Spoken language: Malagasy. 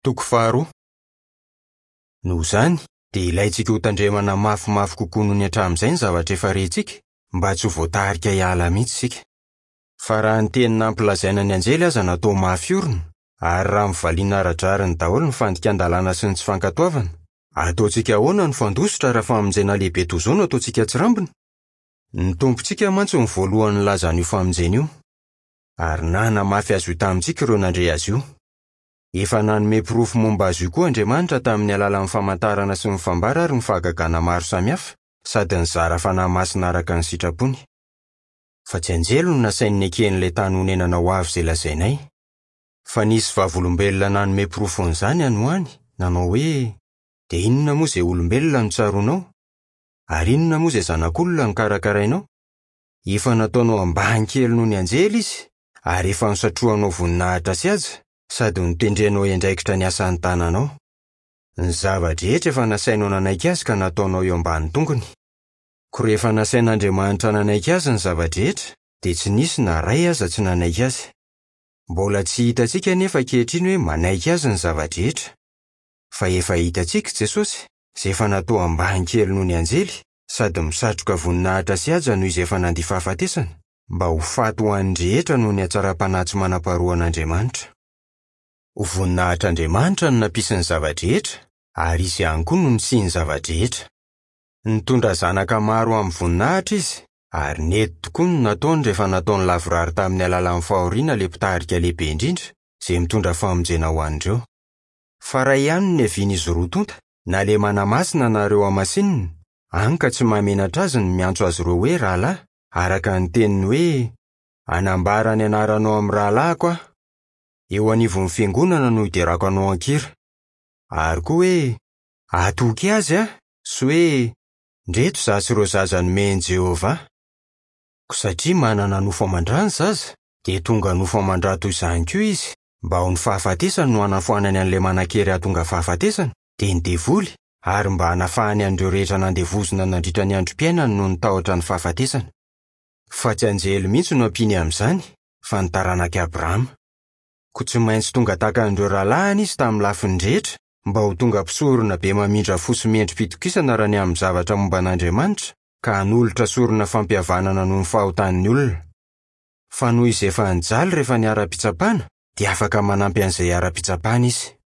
Toko faharoa. Noho izany, dia ilaintsika hotandremana mafimafy kokoa noho ny hatramin'izay ny zavatra efa rentsika, mba tsy ho voatarika hiala mihitsy isika. Fa raha ny teny nampilazaina ny anjely aza natao mafy orina, ary raha mivaliana ara-drariny daholo ny fandikan-dalàna sy ny tsy fankatoavana, ataontsika ahoana no fandositra raha famonjena lehibe toy izao no ataontsika tsirambina? Ny Tompontsika mantsy no voalohany nilaza an'io famonjena io, ary nanamafy azy io tamintsika ireo nandre azy io. Efa nanome porofo momba azy io koa Andriamanitra tamin'ny alalan'ny famantarana sy ny fambara ary ny fahagagana maro samihafa, sady nizara fanahy masina araka ny sitrapony. Fa tsy anjely no nasainy neken'ilay tany honenana ho avy izay lazainay. Fa nisy vavolombelona nanome porofon'izany any ho any, nanao hoe, Dia inona moa izay olombelona no tsaroanao? Ary inona moa izay zanak'olona no karakarainao? Efa nataonao ambany kely noho ny anjely izy, ary efa nosatrohanao voninahitra sy haja, sady notendrenao hiandraikitra ny asan'ny tananao. Ny zava-drehetra efa nasainao nanaiky azy ka nataonao eo ambany tongony. Koa rehefa nasain'Andriamanitra nanaiky azy ny zava-drehetra, dia tsy nisy na iray aza tsy nanaiky azy. Mbola tsy hitantsika anefa ankehitriny hoe manaiky azy ny zava-drehetra. Fa efa hitantsika i Jesosy, izay efa natao ambany kely noho ny anjely, sady misatroka voninahitra sy haja noho izy efa nandia fahafatesana, mba ho faty ho an'ny rehetra noho ny hatsaram-panahy tsy manam-paharoan'Andriamanitra. Ho voninahitr'Andriamanitra no nampisy ny zava-drehetra, ary Izy ihany koa no nisian'ny zava-drehetra. Nitondra zanaka maro ho amin'ny voninahitra Izy, ary nety tokoa ny nataony rehefa nataony lavorary tamin'ny alalan'ny fahoriana ilay Mpitarika lehibe indrindra, izay mitondra famonjena ho an'ireo. Fa iray ihany no niavian'izy roa tonta, na ilay manamasina na ireo hamasinina, hany ka tsy mahamenatra azy ny miantso azy ireo hoe rahalahy, araka ny teniny hoe, Hanambara ny anaranao amin'ny rahalahiko aho. Eo anivon'ny fiangonana no hiderako anao an-kira. Ary koa hoe, Hatoky azy aho, sy hoe, Ndreto izaho sy ireo zaza nomen'i Jehovah ahy. Koa satria manana nofo aman-dra ny zaza, dia tonga nofo aman-dra toy izany koa izy, mba ho ny fahafatesany no hanafoanany an'ilay manan-kery hahatonga fahafatesana, dia ny devoly, ary mba hanafahany an'ireo rehetra nandevozina nandritra ny androm-piainany noho ny tahotra ny fahafatesana. Fa tsy anjely mihitsy no ampiany amin'izany, fa ny taranak'i Abrahama. Koa tsy maintsy tonga tahaka an'ireo rahalahiny izy tamin'ny lafiny rehetra, mba ho tonga mpisorona be mamindra fo sy mendri-pitokisana raha ny amin'ny zavatra momba an'Andriamanitra, ka hanolotra sorona fampihavanana noho ny fahotan'ny olona. Fa noho izy efa nijaly rehefa niharam-pitsapana, dia afaka manampy an'izay iharam-pitsapana izy.